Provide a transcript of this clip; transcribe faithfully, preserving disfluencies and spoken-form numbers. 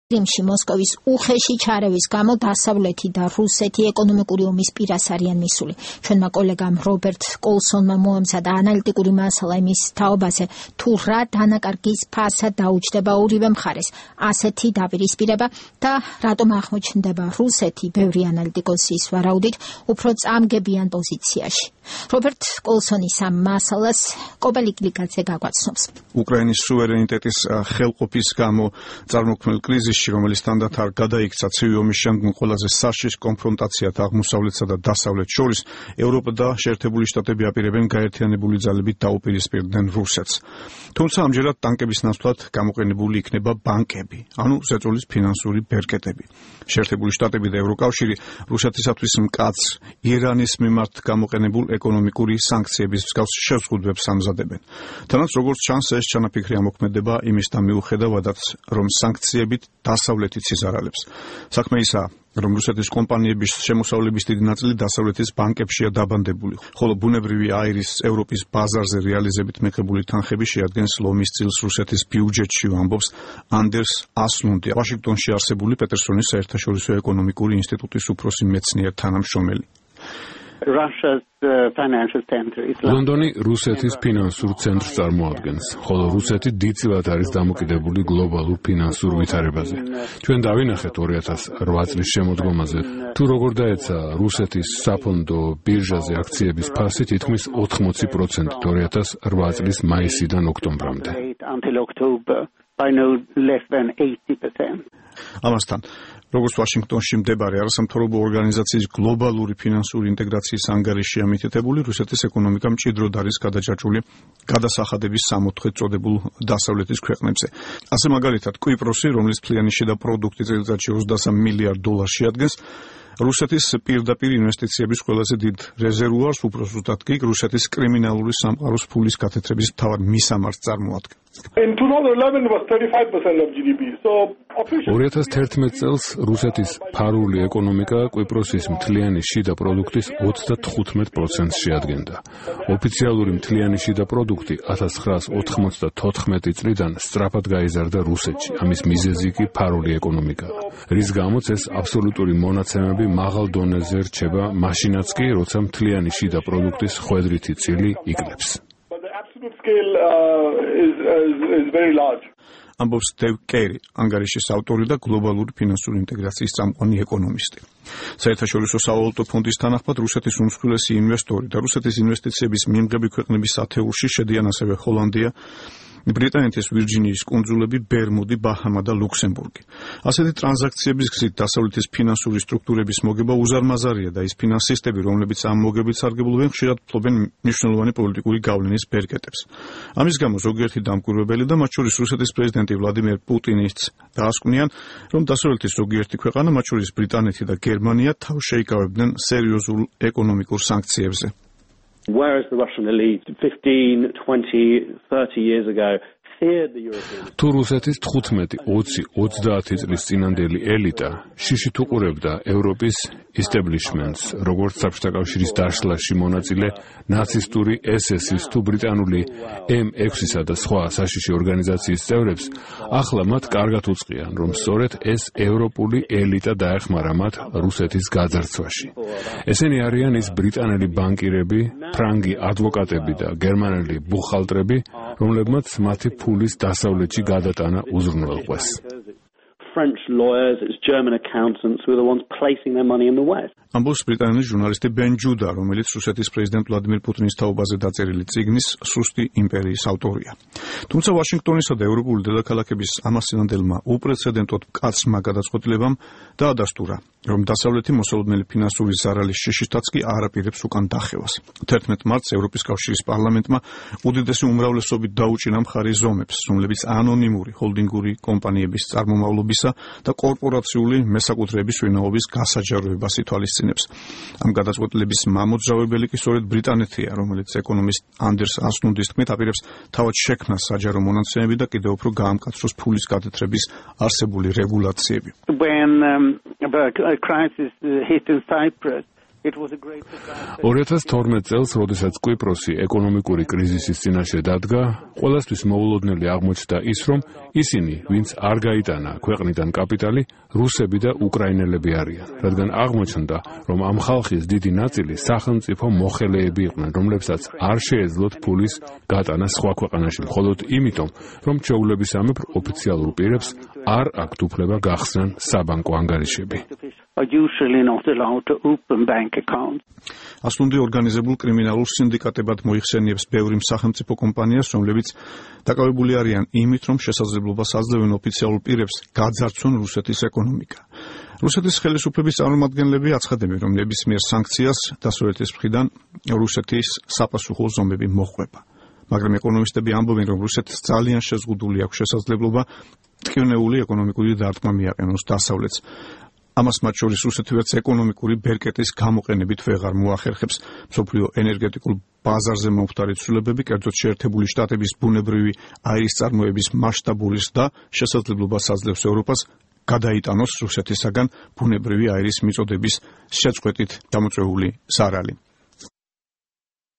კრიმში მოსკოვის უხეში ჩარევის გამო დასავლეთი და რუსეთი ეკონომიკური ომის პირას არიან მისული. ჩვენმა კოლეგამ რობერტ კოლსონმა მოამზადა ანალიტიკური მასალა იმის თაობაზე, თუ რა დანაკარგის ფასად დაუჯდება ორივე მხარეს ასეთი დაპირისპირება და რატომ აღმოჩნდება რუსეთი ბევრი ანალიტიკოსის ვარაუდით უფრო წამგებიან პოზიციაში. რობერტ კოლსონის ამ მასალას კობელი კლიკაძე გაგვაცნობს. უკრაინის სუვერენიტეტის ხელყოფის გამო წარმოქმნილ კრიზისში, რომელიც თანდათ არ გადაიქცა ცივი ომის შემდგომ ყველაზე საშიშ კონფრონტაციად აღმოსავლეთსა და დასავლეთს შორის, ევროპა და შეერთებული შტატები აპირებენ გაერთიანებული ძალებით დაუპირისპირდნენ რუსეთს. თუმცა ამჯერად ტანკების ნაცვლად გამოყენებული იქნება ბანკები, ანუ ზეწოლის ფინანსური ბერკეტები. შეერთებული შტატები და ევროკავშირი რუსეთისათვის მკაცრ ირანის მიმართ გამოყენებულ ეკონომიკური სანქციების მსგავს შეზღუდვებს ამზადებენ. თანაც როგორც ჩანს, ეს ჩანაფიქრი ამოქმედება იმისთან მიუხედავადაც, რომ სანქციებით დასავლეთიც იზარალებს. საქმე ისაა, რომ რუსეთის კომპანიების შემოსავლების დიდი ნაწილი დასავლეთის ბანკებშია დაბანდებული, ხოლო ბუნებრივი აირის ევროპის ბაზარზე რეალიზებით მიღებული თანხები შეადგენს ლომის წილს რუსეთის ბიუჯეტში, ამბობს anders aslund, ვაშინგტონში არსებული პეტერსონის საერთაშორისო ეკონომიკური ინსტიტუტის უფროსი მეცნიერ თანამშრომელი. ლონდონი რუსეთის ფინანსურ ცენტრს წარმოადგენს, ხოლო რუსეთი დიდწილად არის დამოკიდებული გლობალურ ფინანსურ ვითარებაზე. ჩვენ დავინახეთ ორი ათას ოთხ წლის შემოდგომაზე, თუ როგორ დაეცა რუსეთის საფონდო ბირჟაზე აქციების ფასი თითქმის ოთხმოცი პროცენტით ორი ათას ოთხ წლის მაისიდან ოქტომბრამდე. ამასთან, როგორც ვაშინგტონში მდებარე არასამთავრობო ორგანიზაციის გლობალური ფინანსური ინტეგრაციის ანგარიშია მითითებული, რუსეთის ეკონომიკა მჭიდროდ არის გადაჭაჭული გადასახადების სამოთხედ წოდებულ დასავლეთის ქვეყნებზე. ასე მაგალითად, კვიპროსი, რომლის მთლიანი შიდა პროდუქტი წელიწადში ოცდასამ მილიარდ დოლარს შეადგენს, რუსეთის პირდაპირ ინვესტიციების ყველაზე დიდ რეზერვუარს, უფრო ზუსტად კი რუსეთის კრიმინალური სამყაროს ფულის გათეთრების მთავარ მისამართს წარმოადგენს. ორი ათას თერთმეტ წელს რუსეთის ფარული ეკონომიკა კვიპროსის მთლიანი შიდა პროდუქტის ოცდათხუთმეტ პროცენტს შეადგენდა. ოფიციალური მთლიანი შიდა პროდუქტი ათას ცხრაას ოთხმოცდათოთხმეტი წლიდან სწრაფად გაიზარდა რუსეთში. ამის მიზეზი კი ფარული ეკონომიკაა, რის გამოც ეს აბსოლუტური მონაცემები მაღალ დონეზე რჩება, მაშინაც კი, როცა მთლიანი შიდა პროდუქტის ხვედრითი წილი იკლებს. ამბობს დევ კერი, ანგარიშის ავტორი და გლობალური ფინანსური ინტეგრაციის წამყვანი ეკონომისტი. საერთაშორისო სავალუტო ფონდის თანახმად, რუსეთის უმსხვილესი ინვესტორი და რუსეთის ინვესტიციების მიმღები ქვეყნების ათეულში შედიან ასევე ჰოლანდია, ბრიტანეთის ვირჯინიის კუნძულები, ბერმუდი, ბაჰამა და ლუქსემბურგი. ასეთი ტრანზაქციების გზით დასავლეთის ფინანსური სტრუქტურების მოგება უზარმაზარია და ის ფინანსისტები, რომლებიც ამ მოგებით სარგებლობენ, ხშირად ფლობენ მნიშვნელოვანი პოლიტიკური გავლენის ბერკეტებს. ამის გამო ზოგიერთი დამკვირვებელი და მათ შორის რუსეთის პრეზიდენტი ვლადიმერ პუტინიც დაასკვნიან, რომ დასავლეთის ზოგიერთი ქვეყანა, მათ შორის ბრიტანეთი და გერმანია, თავს შეიკავებდნენ სერიოზულ ეკონომიკურ სანქციებზე. Whereas the Russian elite fifteen, twenty, thirty years ago feared the European. თუ რუსეთის თხუთმეტი, ოცი, ოცდაათი წლის წინანდელი ელიტა შიშით უყურებდა ევროპის establishments, როგორც საბჭოთა კავშირის დაშლაში მონაწილე ნაცისტური ეს ეს-ის თუ ბრიტანული ემ ექვსისა და სხვა საშიში ორგანიზაციის წევრებს, ახლა მათ კარგად უწყიან, რომ სწორედ ეს ევროპული ელიტა დაეხმარა მათ რუსეთის გაძარცვაში. ესენი არიან ის ბრიტანელი ბანკირები, ფრანგი ადვოკატები და გერმანელი ბუხალტრები, რომლებმაც მათი ფულის დასავლეთში გადატანა უზრუნველყვეს. French lawyers, it's German accountants who are the ones placing their money in the West. ამბობს ბრიტანელი ჟურნალისტი ბენ ჯუდა, რომელიც რუსეთის პრეზიდენტ ვლადიმერ პუტინის თაობაზე დაწერილი წიგნის სუსტი იმპერიის ავტორია. თუმცა ვაშინგტონისა და ევროპული დედაქალაქების ამასწინებელმა უპრეცედენტოდ მკაცრმა გადაწყვეტილებამ დაადასტურა, რომ დასავლეთი მოსალოდნელი ფინანსური ზარალის შიშითაც კი არ აპირებს უკან დახევას. თერთმეტ მარტს ევროპის კავშირის პარლამენტმა უდიდესი უმრავლესობით დაუჭინა მხარი ზომებს, რომლებიც ანონიმური ჰოლდინგური კომპანიების წარმომავლობისა და კორპორაციული მესაკუთრეების ვინაობის გასაჯაროებას ითვალისწინებს. ამ გადაწყვეტილების მამოძრავებელი კი სწორედ ბრიტანეთია, რომელიც ეკონომისტ anders aslunds თქმით აპირებს თავად შექმნას საჯარო მონაცემები და კიდევ უფრო გაამკაცროს ფულის გადათრების არსებული რეგულაციები. When um, the crisis hit in Cyprus, ორი ათას თორმეტ წელს, როდესაც კვიპროსი ეკონომიკური კრიზისის წინაშე დადგა, ყველასთვის მოულოდნელი აღმოჩნდა ის, რომ ისინი, ვინც არ გაიტანა ქვეყნიდან კაპიტალი, რუსები და უკრაინელები არიან, რადგან აღმოჩნდა, რომ ამ ხალხის დიდი ნაწილი სახელმწიფო მოხელეები იყვნენ, რომლებსაც არ შეეძლოთ ფულის გატანა სხვა ქვეყანაში, მხოლოდ იმიტომ, რომ ჩვეულების სამეფო ოფიციალურ პირებს არ აქვთ უფლება გახსნან საბანკო ანგარიშები. are usually not allowed to open bank accounts. ასლუნდი ორგანიზებულ კრიმინალურ სინდიკატებად მოიხსენიებს ბევრი სახელმწიფო კომპანიას, რომლებიც დაკავებული არიან იმით, რომ შესაძლებლობას აძლევენ ოფიციალურ პირებს გაძარცვონ რუსეთის ეკონომიკა. რუსეთის ხელისუფლების წარმომადგენლები აცხადებენ, რომ ნებისმიერ სანქციას დასავლეთის მხრიდან რუსეთის საპასუხო ზომები მოჰყვება. მაგრამ ეკონომისტები ამბობენ, რომ რუსეთს ძალიან შეზღუდული აქვს შესაძლებლობა ტკივნეული ეკონომიკური დარტყმა მიაყენოს დასავლეთს. ამას მათ შორის რუსეთი ვერც ეკონომიკური ბერკეტის გამოყენებით ვეღარ მოახერხებს. მსოფლიო ენერგეტიკულ ბაზარზე მომხდარი ცვლილებები, კერძოდ შეერთებული შტატების ბუნებრივი აირის წარმოების მასშტაბური ზრდა შესაძლებლობას აძლევს ევროპას გადაიტანოს რუსეთისაგან ბუნებრივი აირის მიწოდების შეწყვეტით გამოწვეული ზარალი.